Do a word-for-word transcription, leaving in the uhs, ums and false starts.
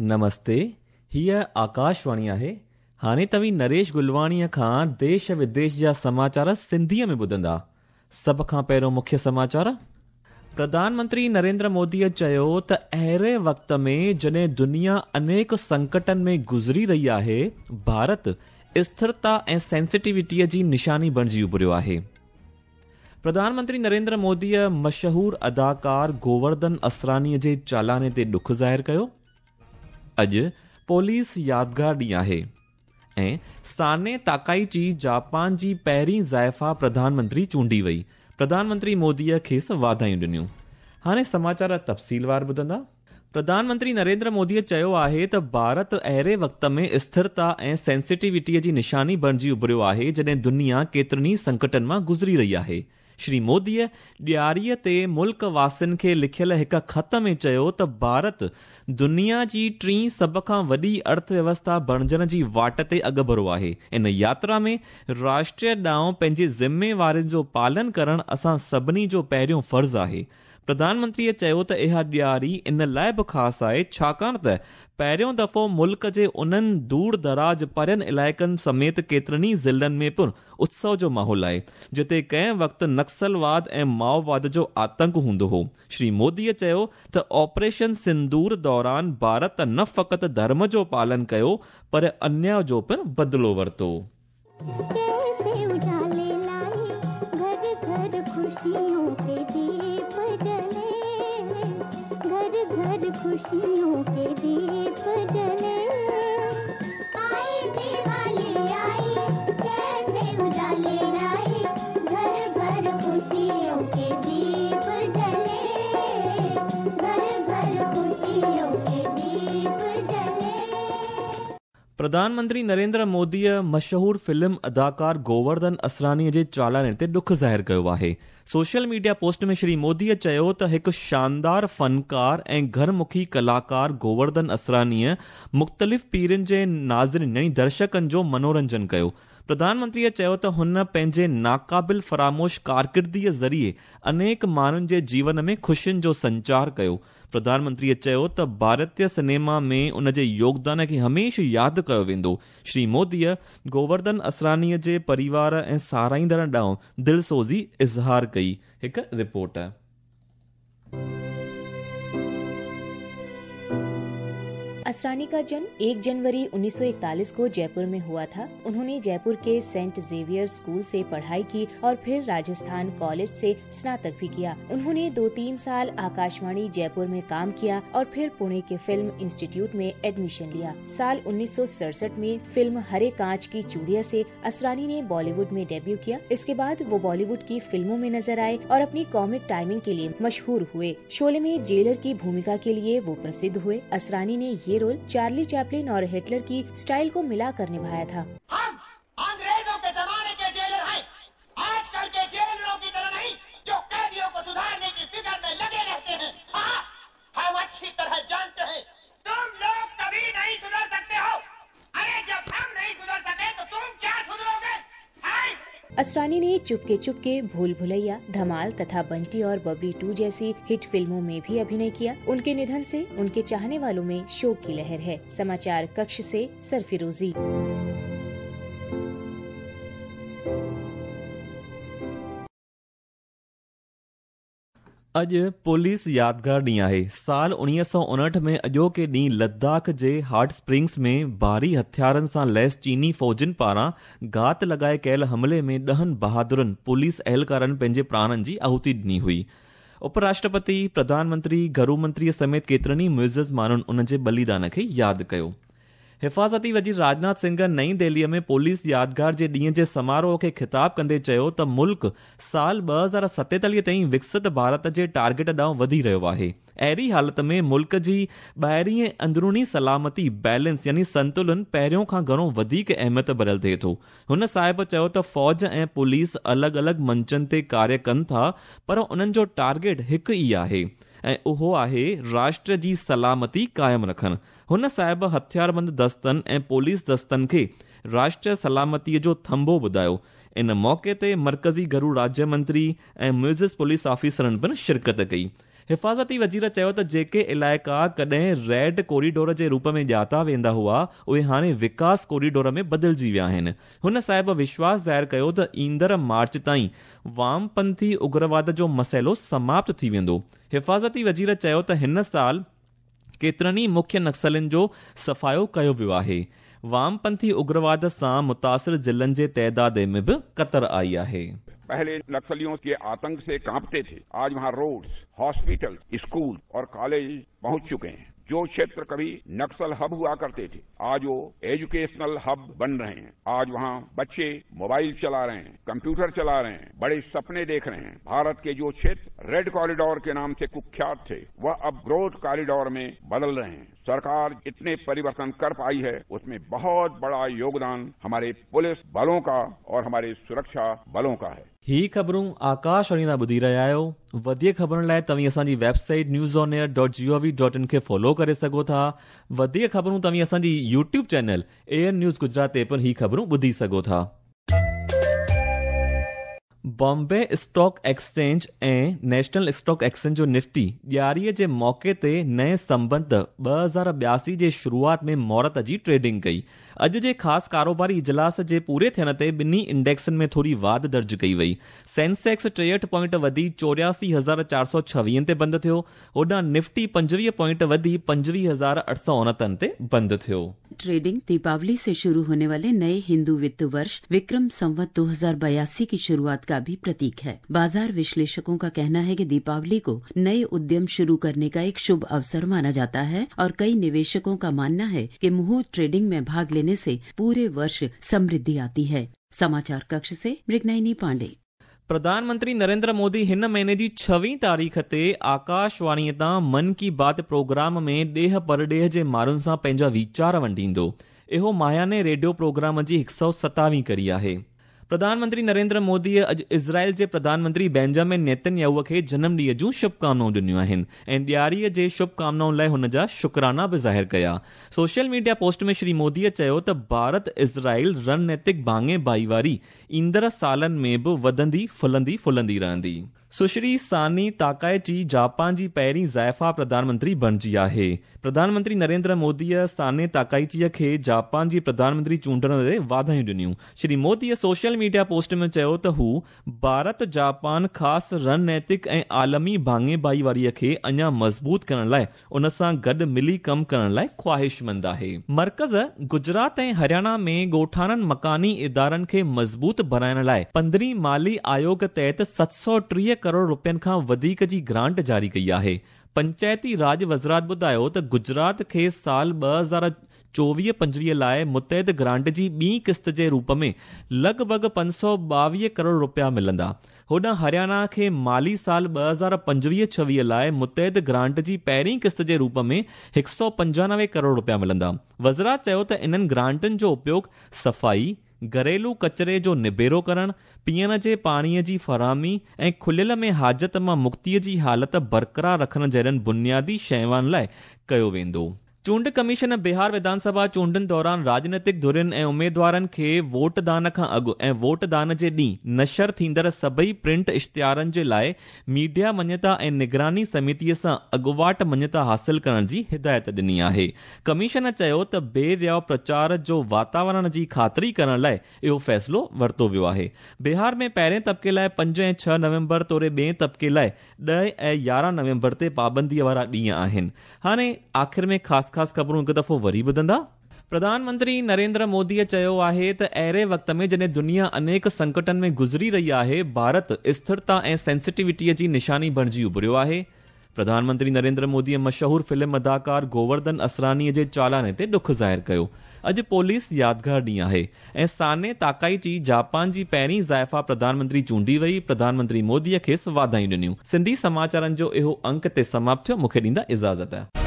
नमस्ते, हीअ आकाशवाणी आहे। हाणे तव्हीं नरेश गुलवाणीअ खां देश विदेश जा समाचार सिंधीअ में ॿुधंदा। सभ खां पहिरियों मुख्य समाचार। प्रधानमंत्री नरेंद्र मोदीअ चयो त अहिड़े वक़्त में जॾहिं दुनिया अनेक संकटनि में गुज़री रही आहे, भारत स्थिरता ऐं सेंसिटिविटीअ जी निशानी बणिजी उभरियो आहे। प्रधानमंत्री नरेंद्र मोदीअ मशहूर अदाकार गोवर्धन असरानीअ जे चालाने ते ॾुख ज़ाहिर कयो। अॼु पोलिस यादगार ॾींहुं आहे ऐं साने ताकाइची जापान जी पहिरीं ज़ाइफ़ा प्रधानमंत्री चूंडी वई। प्रधानमंत्री मोदीअ खेसि वाधायूं ॾिनियूं। हाणे समाचार तफ़सीलवार ॿुधंदा। प्रधानमंत्री नरेंद्र मोदीअ चयो आहे त भारत अहिड़े वक़्त में स्थिरता ऐं सेंसिटिविटीअ जी निशानी बणिजी उभरियो आहे जॾहिं दुनिया केतिरनि ई संकटनि मां गुज़री रही आहे। श्री मोदीअ ॾियारीअ ते मुल्क वासियुनि खे लिखियल हिकु ख़त में चयो त भारत दुनिया जी टीं सभ खां वॾी अर्थव्यवस्था बणिजण जी वाट ते अॻिभरो आहे। इन यात्रा में राष्ट्र ॾांहुं पंहिंजी ज़िम्मेवारियुनि जो पालन करणु असां सभिनी जो पहिरियों फ़र्ज़ आहे। प्रधानमंत्रीअ चयो त इहा ॾियारी इन लाइ बि ख़ासि आहे छाकाणि त पहिरियों दफ़ो मुल्क जे उन्हनि दूर दराज परियनि इलाइक़नि समेत केतिरनि ई ज़िलनि में पिणु उत्सव जो माहौल आहे जिते कंहिं वक़्तु नक्सलवाद ऐं माओवाद जो आतंक हूंदो हो। श्री मोदीअ चयो त ऑपरेशन सिंदूर दौरान भारत न फ़क़ति धर्म जो पालन कयो पर अन्याय जो पिणु बदिलो वरितो। खुशियों के दीप जले, आई दिवाली आई, कैसे उजाले लाई, घर घर खुशियों के दीप जले, घर घर खुशियों के दीप जले। प्रधानमंत्री नरेंद्र मोदीअ मशहूर फिल्म अदाकार गोवर्धन असरानीअ जे चालाने ते ॾुख ज़ाहिर कयो आहे। सोशल मीडिया पोस्ट में श्री मोदीअ चयो त हिकु शानदार फनकार ऐं घरमुखी कलाकार गोवर्धन असरानीअ मुख़्तलिफ़ पीढ़ियुनि जे नाज़रीन यानी दर्शकनि जो मनोरंजन कयो। प्रधानमंत्रीअ चयो त हुन पंहिंजे नाक़ाबिल फ़रामोश कारकिर्दीअ ज़रिए अनेक माण्हुनि जे जीवन में ख़ुशियुनि जो संचार कयो। प्रधानमंत्रीअ चयो त भारतीय सिनेमा में उन जे योगदान खे हमेशह यादि कयो वेंदो। श्री मोदीअ गोवर्धन असरानीअ जे परिवार ऐं साराहींदड़ ॾांहुं दिलसोज़ी इज़हार कई। हिकु रिपोर्ट। असरानी का जन्म एक जनवरी उन्नीस सौ इकतालीस को जयपुर में हुआ था। उन्होंने जयपुर के सेंट जेवियर स्कूल से पढ़ाई की और फिर राजस्थान कॉलेज से स्नातक भी किया। उन्होंने दो तीन साल आकाशवाणी जयपुर में काम किया और फिर पुणे के फिल्म इंस्टीट्यूट में एडमिशन लिया। साल उन्नीस सौ सड़सठ में फिल्म हरे कांच की चूड़िया से असरानी ने बॉलीवुड में डेब्यू किया। इसके बाद वो बॉलीवुड की फिल्मों में नजर आए और अपनी कॉमिक टाइमिंग के लिए मशहूर हुए। शोले में जेलर की भूमिका के लिए वो प्रसिद्ध हुए। असरानी ने ये रोल चार्ली चैपलिन और हिटलर की स्टाइल को मिलाकर निभाया था। हम अंग्रेजों के जमाने के जेलर हैं, आजकल के जेलरों की तरह नहीं जो कैदियों को सुधारने की फिक्र में लगे रहते हैं। हाँ, हम अच्छी तरह जानते हैं तुम लोग कभी नहीं सुधर सकते हो। अरे जब हम नहीं सुधर सके तो तुम क्या सुधरोगे? असरानी ने चुपके चुपके, भूल भुलैया, धमाल तथा बंटी और बबली टू जैसी हिट फिल्मों में भी अभिनय किया। उनके निधन से उनके चाहने वालों में शोक की लहर है। समाचार कक्ष से सरफिरोजी। अॼु पुलिस यादगार ॾींहुं आहे। साल उणिवीह सौ उणहठि में अॼोके ॾींहुं लद्दाख जे हॉट स्प्रिंग्स में भारी हथियारनि सां लैस चीनी फ़ौजियुनि पारां घात लॻाए कयल हमले में ॾहनि बहादुरनि पुलिस अहलकारनि पंहिंजे प्राणनि जी आहुति ॾिनी हुई। उपराष्ट्रपति, प्रधानमंत्री, घरू मंत्रीअ समेत केतिरनि ई मुइज़ माण्हुनि उन जे बलिदान खे यादि कयो। हिफाज़ती वज़ीर राजनाथ सिंह नई दिल्लीअ में पुलिस यादगार जे ॾींहं जे समारोह खे ख़िताब कंदे चयो त मुल्क साल ॿ हज़ार सतेतालीह ताईं विकसित भारत जे टारगेट ॾांहुं वधी रहियो आहे। अहिड़ी हालत में मुल्क जी ॿाहिरीं ऐं अंदरूनी सलामती बैलेंस यानी संतुलन पहिरियों खां घणो वधीक अहमियत भरियल थिए थो। हुन साहिब चयो त फ़ौज ऐं पुलिस अलॻि अलॻि मंचनि ते कार्य कनि था, पर उन्हनि जो टारगेट हिकु ई आहे ऐं उहो आहे राष्ट्र जी सलामती क़ाइमु रखणु। हुन साहिब हथियारबंद दस्तनि ऐं पुलिस दस्तनि खे राष्ट्रीय सलामतीअ जो थंभो ॿुधायो। इन मौक़े ते मर्कज़ी घरू राज्य मंत्री ऐं म्यूज़िस पुलिस ऑफिसरनि पिणु शिरकत कई। हिफ़ाज़ती वज़ीर चयो त जेके इलाइक़ा कॾहिं रेड कॉरिडोर जे रूप में ॼाता वेंदा हुआ, उहे हाणे विकास कॉरिडोर में बदिलजी विया आहिनि। हुन साहिब विश्वास ज़ाहिर कयो त ईंदड़ मार्च ताईं वामपंथी उग्रवाद जो मसइलो समाप्त थी वेंदो। हिफ़ाज़ती वज़ीर चयो त हिन साल केतिरनि ई मुख्य नक्सलियुनि जो सफ़ायो कयो वियो आहे। वामपंथी उग्रवाद सां मुतासिर ज़िलनि जे तइदाद में बि कतर आई आहे। पहले नक्सलियों के आतंक से कांपते थे, आज वहां रोड्स, हॉस्पिटल, स्कूल और कॉलेज पहुंच चुके हैं। जो क्षेत्र कभी नक्सल हब हुआ करते थे, आज वो एजुकेशनल हब बन रहे हैं। आज वहां बच्चे मोबाइल चला रहे हैं, कंप्यूटर चला रहे हैं, बड़े सपने देख रहे हैं। भारत के जो क्षेत्र रेड कॉरिडोर के नाम से कुख्यात थे, वह अब ग्रोथ कॉरिडोर में बदल रहे हैं। सरकार इतने परिवर्तन कर पाई है, उसमें बहुत बड़ा योगदान हमारे पुलिस बलों का और हमारे सुरक्षा बलों का है। ही ख़बरूं आकाशवाणी तां ॿुधी रहिया आहियो। वधीक ख़बरुनि लाइ तव्हीं असांजी website news on air dot G O V dot in खे फॉलो करे सघो था। वधीक ख़बरूं तव्हीं असांजी YouTube channel A N news Gujarat ते पिणु ही ख़बरूं ॿुधी सघो था। बॉम्बे स्टॉक एक्सचेंज ऐं नेशनल स्टॉक एक्सचेंज जो निफ्टी ॾियारीअ जे मौक़े ते नए संबंध ॿ हज़ार ॿियासी जे शुरूआत में मुहूर्त जी ट्रेडिंग कई। अॼु जे ख़ासि कारोबारी इजलास जे पूरे थियण ते ॿिन्ही इंडेक्सुनि में थोरी वाध दर्ज कई वई। सेंसेक्स टेहठि पॉइंट वधी चोरियासी हज़ार चारि सौ छवीहनि ते बंदि थियो। होॾां निफ्टी पंजवीह पॉइंट वधी पंजवीह हज़ार अठ सौ उणहतरि ते बंदि थियो। ट्रेडिंग दीपावली से शुरू होने वाले नए हिंदू वित्त वर्ष विक्रम संवत दो हजार बयासी की शुरुआत का भी प्रतीक है। बाजार विश्लेषकों का कहना है कि दीपावली को नए उद्यम शुरू करने का एक शुभ अवसर माना जाता है और कई निवेशकों का मानना है कि मुहूर्त ट्रेडिंग में भाग लेने से पूरे वर्ष समृद्धि आती है। समाचार कक्ष से मृगनयनी पांडे। प्रधानमंत्री नरेंद्र मोदी हिन महीने जी छवीं तारीख़ ते आकाशवाणीअ तां मन की बात प्रोग्राम में ॾेह परॾेह जे माण्हुनि सां पंहिंजा वीचार वंडींदो। इहो माहाने रेडियो प्रोग्राम जी हिकु सौ सतावीं कड़ी आहे। प्रधानमंत्री नरेंद्र मोदीअ अॼु इज़राइल जे प्रधानमंत्री बेंजामिन नेतन्याहू खे जनम ॾींहं जूं शुभकामनाऊं ॾिनियूं आहिनि ऐं ॾियारीअ जे शुभकामनाउनि लाइ हुन जा शुक्राना बि ज़ाहिर कया। सोशल मीडिया पोस्ट में श्री मोदीअ चयो त भारत इज़राइल रणनैतिक भाङे भाईवारी ईंदड़ सालनि में बि वधंदी फुलंदी फुलंदी रहंदी। सुश्री सानी ताकाइची जापान जी पहिरीं ज़ाइफ़ा प्रधानमंत्री बणिजी आहे। प्रधानमंत्री नरेंद्र मोदीअ साने ताकाइचीअ खे जापान जी प्रधानमंत्री चूंडण ते वाधायूं ॾिनियूं। श्री मोदीअ सोशल मीडिया पोस्ट में चयो त हू भारत जापान ख़ासि रणनैतिक ऐं आलमी भाङे भाईवारीअ खे अञा मज़बूत करण लाइ उन सां गॾु मिली कमु करण लाइ ख़्वाहिशमंद आहे। मर्कज़ गुजरात ऐं हरियाणा में ॻोठाणनि मकानी इदारनि खे मज़बूत बणाइण लाइ पंद्रहीं माली आयोग तहत सत सौ टीह करोड़ रुपयनि खां वधीक जी ग्रांट जारी कई आहे। पंचायती राज वज़ारत ॿुधायो त गुजरात खे साल ॿ हज़ार चोवीह पंजवीह लाइ मुतहद ग्रांट जी ॿी क़िस्त जे रूप में लॻभॻि पंज सौ ॿावीह करोड़ रुपया मिलंदा। होॾां हरियाणा खे माली साल ॿ हज़ार पंजवीह छवीह लाइ मुतहद ग्रांट जी पहिरीं क़िस्त जे रूप में हिकु सौ पंजानवे करोड़ रुपया मिलंदा। वज़ारत चयो त इन्हनि ग्रांटनि जो उपयोग सफ़ाई, घरेलू कचरे जो निबेरो करण, पीअण जे पाणीअ जी फराहमी ऐं खुलियल में हाजत मां मुक्तीअ जी हालत बरक़रार रखण जहिड़नि बुनियादी शयुनि लाइ कयो वेंदो। चूंड कमीशन बिहार विधानसभा चूंडनि दौरान राजनीतिक धुरियुनि ऐं उमेदवारनि खे वोटदान खां अॻु ऐं वोटदान जे ॾींहुं नशर थींदड़ सभई प्रिंट इश्तिहारनि जे लाइ मीडिया मञता ऐं निगरानी समितीअ सां अॻुवाट मञता हासिल करण जी हिदायत ॾिनी आहे। कमीशन चयो त बेरियाव प्रचार जो वातावरण जी ख़ातिरी करण लाइ इहो फ़ैसिलो वरितो वियो आहे। बिहार में पहिरें तबिके लाइ पंज ऐं छह नवंबर तोड़े ॿिए तबिके लाइ ॾह ऐं यारहं नवंबर ते पाबंदीअ वारा ॾींहं आहिनि। हाणे आख़िर में ख़ासि ख़ासि ख़बरूं हिकु दफ़ो वरी ॿुधंदा। प्रधानमंत्री नरेंद्र मोदीअ चयो आहे त अहिड़े वक़्त में जॾहिं दुनिया अनेक संकटनि में गुज़री रही आहे, भारत स्थिरता ऐं सेंसिटिविटीअ जी निशानी बणिजी उभरियो आहे। प्रधानमंत्री नरेंद्र मोदीअ मशहूर फ़िल्म अदाकार गोवर्धन असरानीअ जे चालाने ते ॾुख ज़ाहिर कयो। अॼु पोलिस यादगार ॾींहुं आहे ऐं साने ताकाइची जापान जी पहिरीं ज़ाइफ़ा प्रधानमंत्री चूंडी वई। प्रधानमंत्री मोदीअ खेसि वाधायूं ॾिनियूं। सिंधी समाचारनि जो इहो अंक ते समाप्त थियो। मूंखे ॾींदा इजाज़त।